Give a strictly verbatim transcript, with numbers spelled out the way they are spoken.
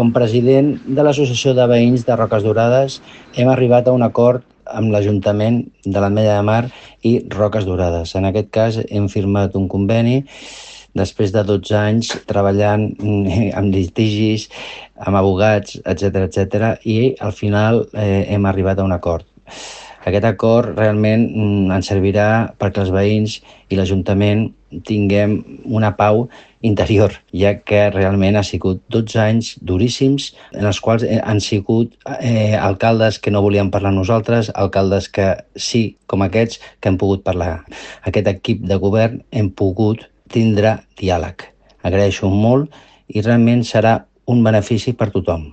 Com president de l'Associació de Veïns de Roques Dorades, hem arribat a un acord amb l'Ajuntament de l'Ametlla de Mar i Roques Dorades. En aquest cas, hem firmat un conveni després de dotze anys treballant amb litigis, amb abogats, etcètera, etcètera, i al final eh, hem arribat a un acord. Aquest acord realment ens servirà perquè els veïns i l'Ajuntament tinguem una pau interior, ja que realment ha sigut dotze anys duríssims en els quals han sigut eh, alcaldes que no volien parlar amb nosaltres, alcaldes que sí, com aquests, que hem pogut parlar. Aquest equip de govern hem pogut tindre diàleg. Agraeixo molt i realment serà un benefici per tothom.